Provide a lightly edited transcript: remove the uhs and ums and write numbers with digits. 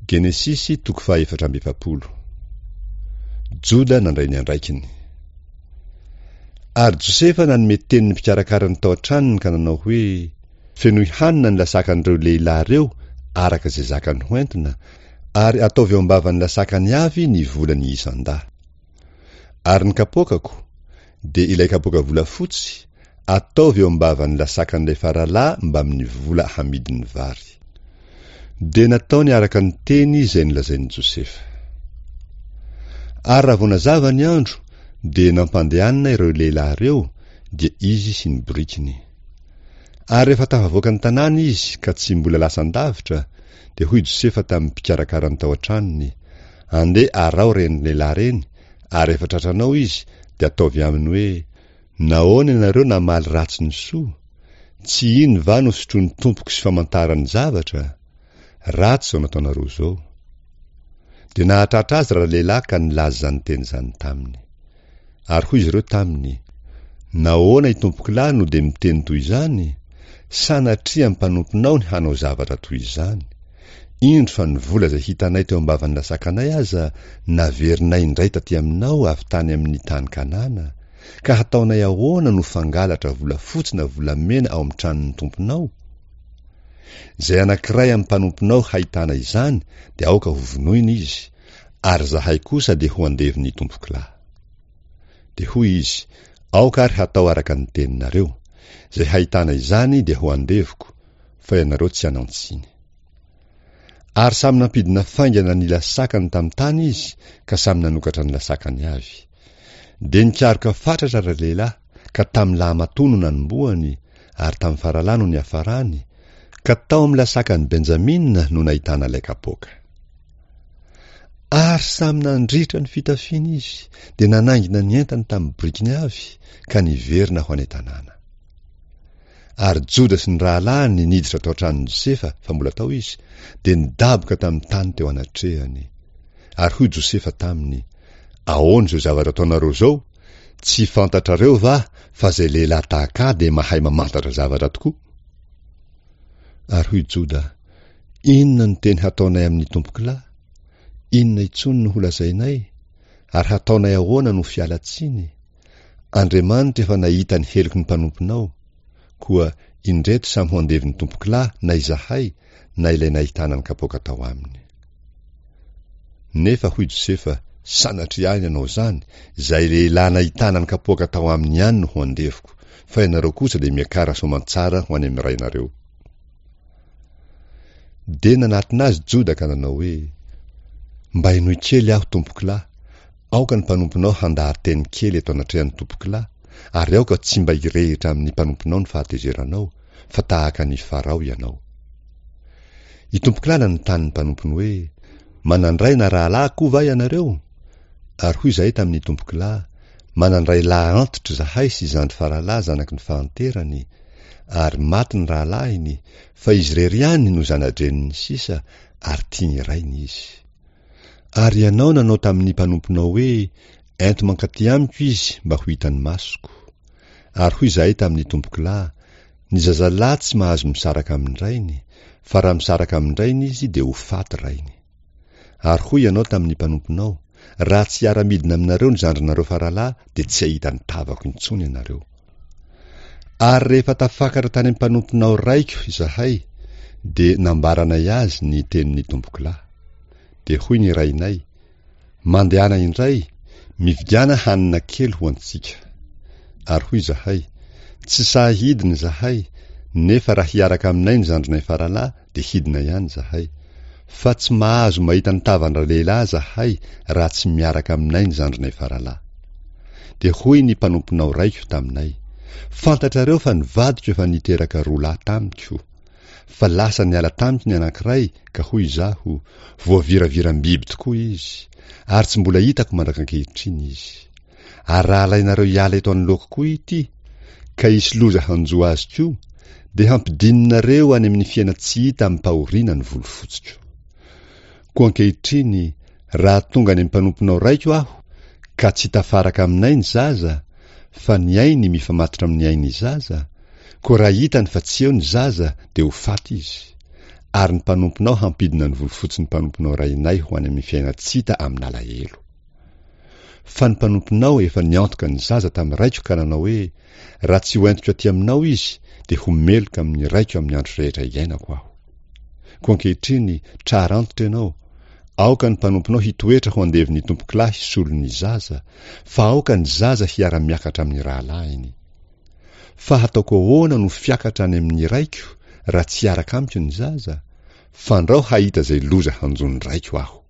Genesisy toko faha 44. Joda nandray ny andraikiny. Ary Josefa nanome teny ny mpikarakara ny tao an-tranony ka nanao hoe, Fenoy hanina ny lasakan'ireo lehilahy ireo araka izay zakany hoentina, ary ataovy eo am-bavan'ny lasakany avy ny volany isan-dahy. Ary ny kapoakako, dia ilay kapoaka volafotsy, ataovy eo am-bavan'ny lasakan'ilay faralahy mbamin'ny vola hamidin'ny vary. Dia nataony araka ny teny izay nolazain'i Josefa. Ary raha vao nazava ny andro, dia nampandehanina ireo lehilahy ireo, dia izy sy ny borikiny. Ary rehefa tafavoaka ny tanàna izy ka tsy mbola lasan-davitra, dia hoy Josefa tamin'ny mpikarakara ny tao an-tranony, Andeha araho ireny lehilahy ireny, ary rehefa tratranao izy, dia ataovy aminy hoe, Nahoana ianareo namaly ratsy ny soa? Tsy iny va no sotroin'ny tompoko sy famantarany zavatra? Ratsy izao nataonareo izao. Dia nahatratra azy ralehilahy ka nilaza izany teny izany taminy. Ary hoy izy ireo taminy, Nahoana itompokolahy no dia miteny toy izany? Sanatria amin'ny mpanomponao ny hanao zavatra toy izany. Indro fa ny vola izay hitanay teo am-bavan'ny lasakanay aza naverinay indray taty aminao avy tany amin'ny tany Kanana, ka hataonay ahoana no fangalatra volafotsy na volamena ao amin'ny tranon'ny tomponao? Izay anankiray amin'ny mpanomponao hahitana izany dia aoka hovonoina izy, ary izahay kosa dia ho andevon'ny tompokolahy. Dia hoy izy, Aoka ary hatao araka ny teninareo. Izay hahitana izany dia ho andevoko, fa ianareo tsy hanan-tsiny. Ary samy nampidina faingana ny lasakany tamin'ny tany izy, ka samy nanokatra ny lasakany avy. Dia nikaroka fatratra ralehilahy, ka tamin'ny lahamatoa no nanombohany, ary tamin'ny faralahy no niafarany, ka tao amin'ny lasakan'i Benjamina no nahitana ilay kapoaka. Ary samy nandritra ny fitafiany izy, dia nanaingina ny entany tamin'ny borikiny avy, ka niverina ho any an-tanàna. Ary Joda sy ny rahalahiny niditra tao an-tranon'i Josefa, fa mbola tao izy, dia nidaboka tamin'ny tany teo anatrehany. Ary hoy Josefa taminy, Ahoana izao zavatra ataonareo izao? Tsy fantatrareo va fa izay lehilahy tahaka ahy dia mahay mamantatra zavatra tokoa? Ary hoy Joda, Inona no teny hataonay amin'ny tompokolahy? Inona intsony no holazainay? Ary hataonay ahoana no fialan-tsiny? Andriamanitra efa nahita ny heloky ny mpanomponao. Koa indreto samy ho andevon'ny tompokolahy na izahay na ilay nahitana ny kapoaka tao aminy. Nefa hoy Josefa, Sanatria ahy ny hanao izany, izay lehilahy nahitana ny kapoaka tao aminy ihany no ho andevoko, fa ianareo kosa dia miakara soamantsara ho any amin'ny rainareo. Dia nanatona azy Joda ka nanao hoe, Mba henoy kely aho, tompokolahy, aoka ny mpanomponao handaha-teny kely eto anatrehan'ny tompokolahy, ary aoka tsy mba hirehitra amin'ny mpanomponao ny fahatezeranao, fa tahaka an'i Farao ianao. Itompokolahy nanontany ny mpanompony hoe, Manan-dray na rahalahy koa va ianareo? Ary hoy izahay tamin'ny tompokolahy, Manan-dray lahy antitra izahay sy zandry faralahy zanaky ny fahanterany, ary maty ny rahalahiny, fa izy irery ihany no zana-dreniny sisa, ary tiany rainy izy. Ary ianao nanao tamin'ny mpanomponao hoe, Ento mankaty amiko izy mba ho hitan'ny masoko. Ary hoy izahay tamin'ny tompokolahy, Ny zazalahy tsy mahazo misaraka amin-drainy, fa raha misaraka amin-drainy izy dia ho faty rainy. Ary hoy ianao tamin'ny mpanomponao, Raha tsy hiara-midina aminareo ny zandrinareo faralahy dia tsy hahita ny tavako intsony ianareo. Ary rehefa tafakatra tany amin'ny mpanomponao raiko izahay, dia nambaranay azy ny tenin'ny tompokolahy. Dia hoy ny rainay, Mandehana indray, mividiana hanina kely ho antsika. Ary hoy izahay, Tsy sahy hidina izahay, nefa raha hiaraka aminay ny zandrinay faralahy dia hidina ihany izahay. Fa tsy mahazo mahita ny tavan-dralehilahy izahay raha tsy miaraka aminay ny zandrinay faralahy. Dia hoy ny mpanomponao raiko taminay, Fantatrareo fa ny vadiko efa niteraka roa lahy tamiko. Fa lasa niala tamiko ny anankiray ka hoy izaho, Voaviraviram-biby tokoa izy, ary tsy mbola hitako mandrak'ankehitriny izy. Ary raha alainareo hiala eto anoloako koa ity, ka hisy loza hanjo azy koa, dia hampidininareo any amin'ny fiainan-tsy hita amim-pahoriana ny volofotsiko. Koa ankehitriny, raha tonga any amin'ny mpanomponao raiko aho, ka tsy tafaraka aminay ny zaza, fa ny ainy mifamatotra amin'ny ain'ny zaza, koa raha hitany fa tsy eo ny zaza, dia ho faty izy. ary ny mpanomponao hampidina ny volofotsin'ny mpanomponao rainay ho any amin'ny fiainan-tsy hita amin'alahelo. Fa ny mpanomponao efa niantoka ny zaza tamin'ny raiko ka nanao hoe, Raha tsy hoentiko aty aminao izy, dia ho meloka amin'ny raiko amin'ny andro rehetra iainako aho. Koa ankehitriny, trara antitra ianao, aoka ny mpanomponao hitoetra ho andevon'ny tompokolahy solon'ny zaza, fa aoka ny zaza hiara-miakatra amin'ny rahalahiny. Fa hataoko ahoana no fiakatra any amin'ny raiko, raha tsy hiaraka amiko ny zaza? Fandrao hahita izay loza hanjo ny raiko aho.